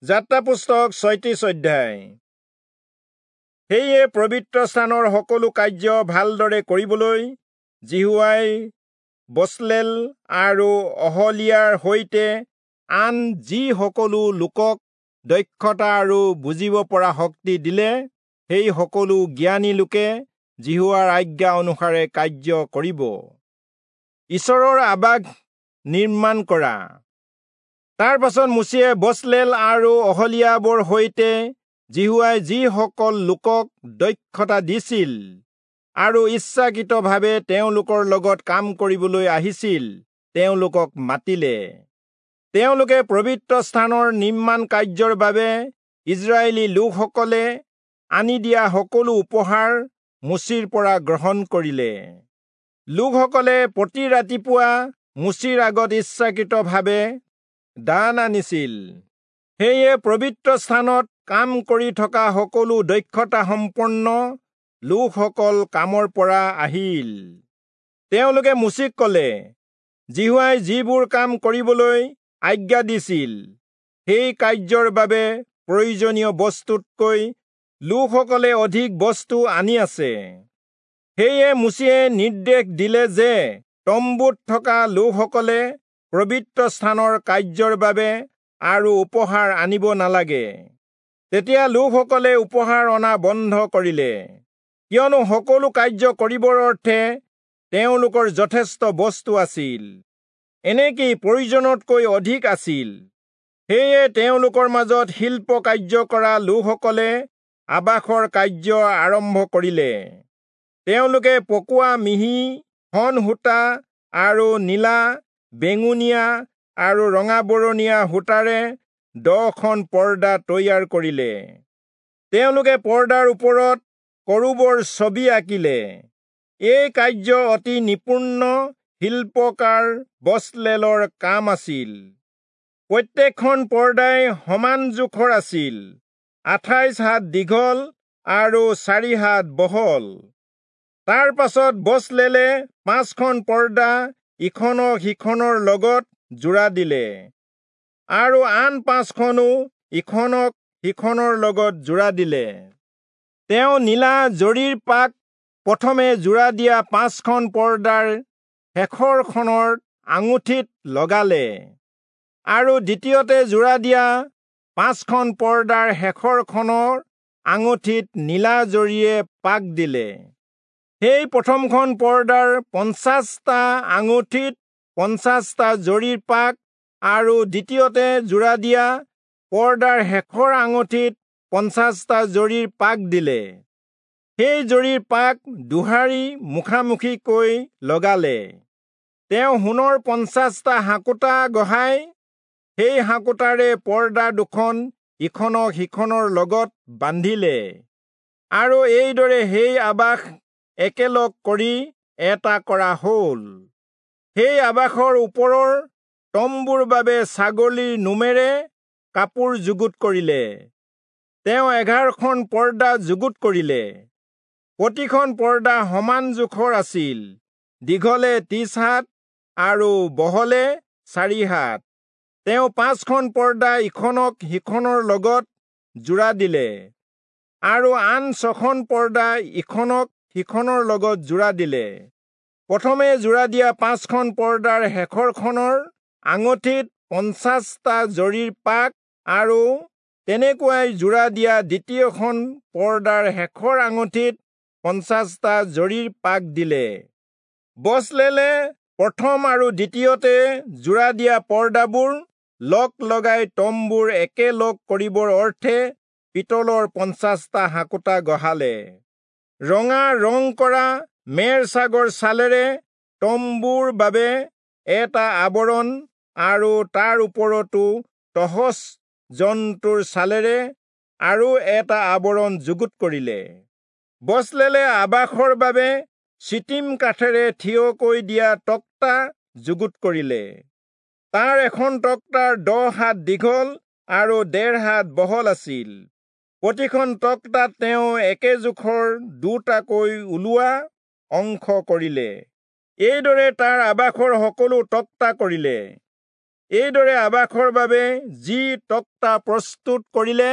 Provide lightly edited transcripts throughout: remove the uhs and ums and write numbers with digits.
যাত্ৰা পুস্তক 36 অধ্যায়। সেয়ে পবিত্ৰ স্থানৰ সকলো কাৰ্য ভালদৰে কৰিবলৈ যিহোৱাই বচলেল আৰু অহলীয়াৰ সৈতে আন যি সকলো লোকক দক্ষতা আৰু বুজিব পৰা শক্তি দিলে, সেই সকলো জ্ঞানী লোকে যিহোৱাৰ আজ্ঞা অনুসাৰে কাৰ্য কৰিব। ঈশ্বৰৰ আবাস নিৰ্মাণ কৰা। তাৰ পাছত মোচিয়ে বচলেল আৰু অহলীয়াবৰ সৈতে যিহোৱাই যিসকল লোকক দক্ষতা দিছিল আৰু ইচ্ছাকৃতভাৱে তেওঁলোকৰ লগত কাম কৰিবলৈ আহিছিল, তেওঁলোকক মাতিলে। তেওঁলোকে পবিত্ৰ স্থানৰ নিৰ্মাণ কাৰ্যৰ বাবে ইজৰাইলী লোকসকলে আনি দিয়া সকলো উপহাৰ মোচিৰ পৰা গ্ৰহণ কৰিলে। লোকসকলে প্ৰতি ৰাতিপুৱা মোচিৰ আগত ইচ্ছাকৃতভাৱে দান আনিছিল। সেয়ে পবিত্ৰ স্থানত কাম কৰি থকা সকলো দক্ষতা সম্পন্ন লোকসকল কামৰ পৰা আহিল। তেওঁলোকে মোচিক কলে, যিহোৱাই যিবোৰ কাম কৰিবলৈ আজ্ঞা দিছিল, সেই কাৰ্যৰ বাবে প্ৰয়োজনীয় বস্তুতকৈ লোকসকলে অধিক বস্তু আনি আছে। সেয়ে মোচিয়ে নিৰ্দেশ দিলে যে তম্বুত থকা লোকসকলে পবিত্ৰ স্থানৰ কাৰ্যৰ বাবে আৰু উপহাৰ আনিব নালাগে। তেতিয়া লোকসকলে উপহাৰ অনা বন্ধ কৰিলে, কিয়নো সকলো কাৰ্য কৰিবৰ অৰ্থে তেওঁলোকৰ যথেষ্ট বস্তু আছিল, এনেকি প্ৰয়োজনতকৈ অধিক আছিল। সেয়ে তেওঁলোকৰ মাজত শিল্প কাৰ্য কৰা লোকসকলে আবাসৰ কাৰ্য আৰম্ভ কৰিলে। তেওঁলোকে পকোৱা মিহি শণ সূতা আৰু নীলা, বেঙুনীয়া আৰু ৰঙাবৰণীয়া সূতাৰে 10খন পৰ্দা তৈয়াৰ কৰিলে। তেওঁলোকে পৰ্দাৰ ওপৰত কৰূবৰ ছবি আঁকিলে। এই কাৰ্য অতি নিপুণ শিল্পকাৰ বচলেলৰ কাম আছিল। প্ৰত্যেকখন পৰ্দাই সমান জোখৰ আছিল, 28 হাত দীঘল আৰু 4 হাত বহল। তাৰ পাছত বচলেলে 5খন পৰ্দা ইখনক সিখনৰ লগত জোৰা দিলে আৰু আন 5খনো ইখনক সিখনৰ লগত জোৰা দিলে। তেওঁ নীলা জৰীৰ পাক প্ৰথমে জোৰা দিয়া 5খন পৰ্দাৰ শেষৰখনৰ আঙুঠিত লগালে আৰু দ্বিতীয়তে জোৰা দিয়া 5খন পৰ্দাৰ শেষৰখনৰ আঙুঠিত নীলা জৰীয়ে পাক দিলে। সেই প্ৰথমখন পৰ্দাৰ 50টা আঙুঠিত 50টা জৰীৰ পাক আৰু দ্বিতীয়তে জোৰা দিয়া পৰ্দাৰ শেষৰ আঙুঠিত 50টা জৰীৰ পাক দিলে। সেই জৰীৰ পাক দুহাৰি মুখামুখিকৈ লগালে। তেওঁ সোণৰ 50টা হাঁকোটা গঢ়াই সেই হাঁকোটাৰে পৰ্দা দুখন ইখনক সিখনৰ লগত বান্ধিলে আৰু এইদৰে সেই আবাস একেলগ কৰি এটা কৰা হল। সেই আবাসৰ ওপৰৰ তম্বুৰ বাবে ছাগলীৰ নোমেৰে কাপোৰ যুগুত কৰিলে। তেওঁ 11খন পৰ্দা যুগুত কৰিলে। প্ৰতিখন পৰ্দা সমান জোখৰ আছিল, দীঘলে 30 হাত আৰু বহলে 4 হাত। তেওঁ 5খন পৰ্দা ইখনক সিখনৰ লগত জোৰা দিলে আৰু আন 6খন পৰ্দা ইখনক সিখনৰ লগত জোৰা দিলে। প্ৰথমে জোৰা দিয়া 5খন পৰ্দাৰ শেষৰখনৰ আঙুঠিত 50টা জৰীৰ পাক আৰু তেনেকুৱাই জোৰা দিয়া দ্বিতীয়খন পৰ্দাৰ শেষৰ আঙুঠিত 50টা জৰীৰ পাক দিলে। বচলেলে প্ৰথম আৰু দ্বিতীয়তে জোৰা দিয়া পৰ্দাবোৰ লগ লগাই তম্বুৰ একেলগ কৰিবৰ অৰ্থে পিতলৰ 50টা হাঁকোটা গঢ়ালে। ৰঙা ৰং কৰা মেৰ ছাগৰ ছালেৰে তম্বুৰ বাবে এটা আৱৰণ আৰু তাৰ ওপৰতো তহচ জন্তুৰ ছালেৰে আৰু এটা আৱৰণ যুগুত কৰিলে। বচলেলে আবাসৰ বাবে চিটিম কাঠেৰে থিয়কৈ দিয়া তক্তা যুগুত কৰিলে। তাৰ এখন তক্তাৰ 10 হাত দীঘল আৰু 1.5 হাত বহল আছিল। প্ৰতিখন তক্তাত তেওঁ একে জোখৰ দুটাকৈ ওলোৱা অংশ কৰিলে। এইদৰে তাৰ আবাসৰ সকলো তক্তা কৰিলে। এইদৰে আবাসৰ বাবে যি তক্তা প্ৰস্তুত কৰিলে,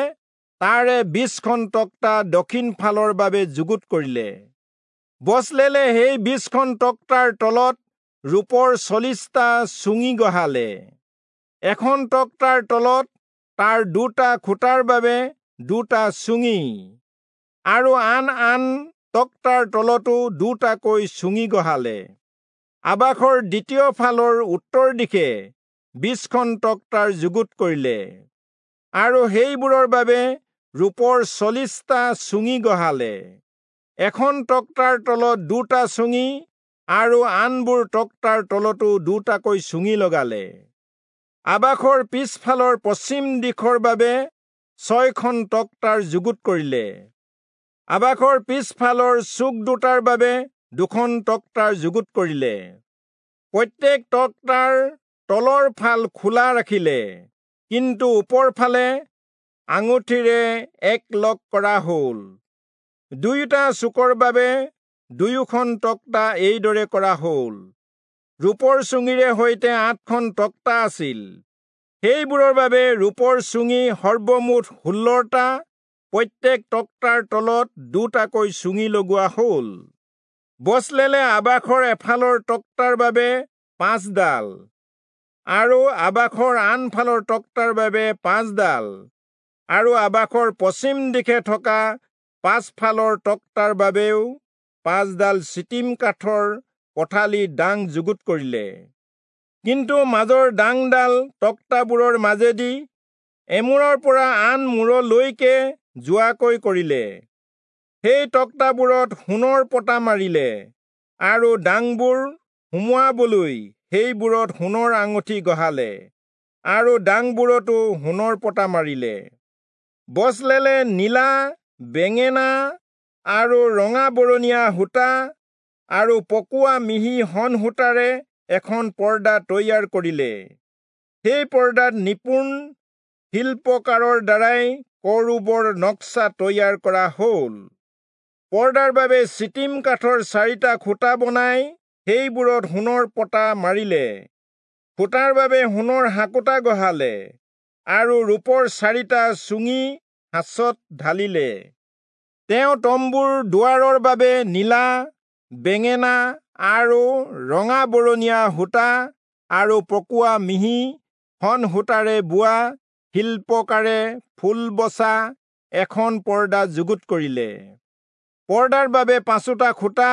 তাৰে 20খন তক্তা দক্ষিণ ফালৰ বাবে যুগুত কৰিলে। বচলেলে সেই 20খন তক্তাৰ তলত ৰূপৰ 40টা চুঙি গঢ়ালে। এখন তক্তাৰ তলত তাৰ 2টা খুঁটাৰ বাবে 2টা চুঙি আৰু আন আন তক্তাৰ তলতো 2টাকৈ চুঙি গঢ়ালে। আবাসৰ দ্বিতীয় ফালৰ উত্তৰ দিশে 20খন তক্তাৰ যুগুত কৰিলে আৰু সেইবোৰৰ বাবে ৰূপৰ 40টা চুঙি গঢ়ালে। এখন তক্তাৰ তলত 2টা চুঙি আৰু আনবোৰ তক্তাৰ তলতো 2টাকৈ চুঙি লগালে। আবাসৰ পিছফালৰ পশ্চিম দিশৰ বাবে 6খন তক্তাৰ যুগুত কৰিলে। আবাসৰ পিছফালৰ চুক দুটাৰ বাবে 2খন তক্তাৰ যুগুত কৰিলে। প্ৰত্যেক তক্তাৰ তলৰ ফাল খোলা ৰাখিলে, কিন্তু ওপৰ ফালে আঙুঠিৰে একলগ কৰা হ'ল। দুয়োটা চুকৰ বাবে দুয়োখন তক্তা এইদৰে কৰা হ'ল। ৰূপৰ চুঙিৰে সৈতে 8খন তক্তা আছিল। সেইবোৰৰ বাবে ৰূপৰ চুঙি সৰ্বমুঠ 16টা, প্ৰত্যেক তক্তাৰ তলত 2টাকৈ চুঙি লগোৱা হ'ল। বচলেলে আবাসৰ এফালৰ তক্তাৰ বাবে 5ডাল আৰু আবাসৰ আনফালৰ তক্তাৰ বাবে 5ডাল আৰু আবাসৰ পশ্চিম দিশে থকা পাছফালৰ তক্তাৰ বাবেও 5ডাল চিটিম কাঠৰ পথালি ডাং যুগুত কৰিলে। কিন্তু মাজৰ ডাংডাল তক্তাবোৰৰ মাজেদি এমূৰৰ পৰা আন মূৰলৈকে যোৱাকৈ কৰিলে। সেই তক্তাবোৰত সোণৰ পতা মাৰিলে আৰু ডাংবোৰ সুমুৱাবলৈ সেইবোৰত সোণৰ আঙুঠি গঢ়ালে আৰু ডাংবোৰতো সোণৰ পতা মাৰিলে। বচলেলে নীলা, বেঙেনা আৰু ৰঙা বৰণীয়া সূতা আৰু পকোৱা মিহি শণ সূতাৰে এখন পৰ্দা তৈয়াৰ কৰিলে। সেই পৰ্দাত নিপুণ শিল্পকাৰৰ দ্বাৰাই কৰূবৰ নক্সা তৈয়াৰ কৰা হ'ল। পৰ্দাৰ বাবে চিটিম কাঠৰ 4টা খুঁটা বনাই সেইবোৰত সোণৰ পতা মাৰিলে। খুঁটাৰ বাবে সোণৰ হাকোটা গঢ়ালে আৰু ৰূপৰ 4টা চুঙি সাঁচত ঢালিলে। তেওঁ তম্বুৰ দুৱাৰৰ বাবে নীলা, বেঙেনা আৰু ৰঙা বৰণীয়া সূতা আৰু পকোৱা মিহি শণ সূতাৰে বোৱা শিল্পকাৰে ফুল বচা এখন পৰ্দা যুগুত কৰিলে। পৰ্দাৰ বাবে 5টা খুঁটা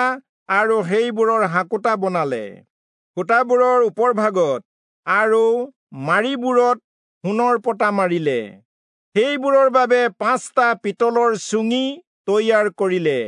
আৰু সেইবোৰৰ হাকোটা বনালে। খুঁটাবোৰৰ ওপৰভাগত আৰু মাৰিবোৰত সোণৰ পতা মাৰিলে। সেইবোৰৰ বাবে 5টা পিতলৰ চুঙি তৈয়াৰ কৰিলে।